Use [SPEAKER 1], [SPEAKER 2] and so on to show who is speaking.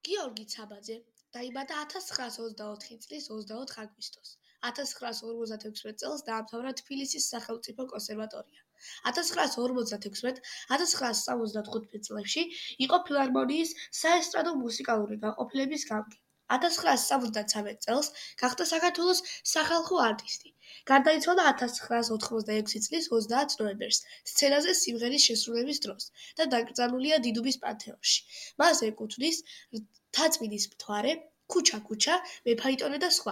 [SPEAKER 1] გიორგი ცაბაძე დაიბადა 1924 წლის 24 აგვისტოს. 1956 წელს დაამთავრა თბილისის სახელმწიფო კონსერვატორია. 1956-1965 წლებში იყო ფილარმონიის საესტრადო მუსიკალური განყოფილების გამგე. 1973 წელს გახდა საქართველოს სახალხო არტისტი. გარდაიცვალა 1986 წლის 30 ნოემბერს სცენაზე სიმღერის შესრულების დროს და დაკრძალულია დიდუბის პანთეონში. მას ეკუთვნის რთაწმინდის მთვარე, ქუჩა-ქუჩა, მეფაიტონე და სხვა.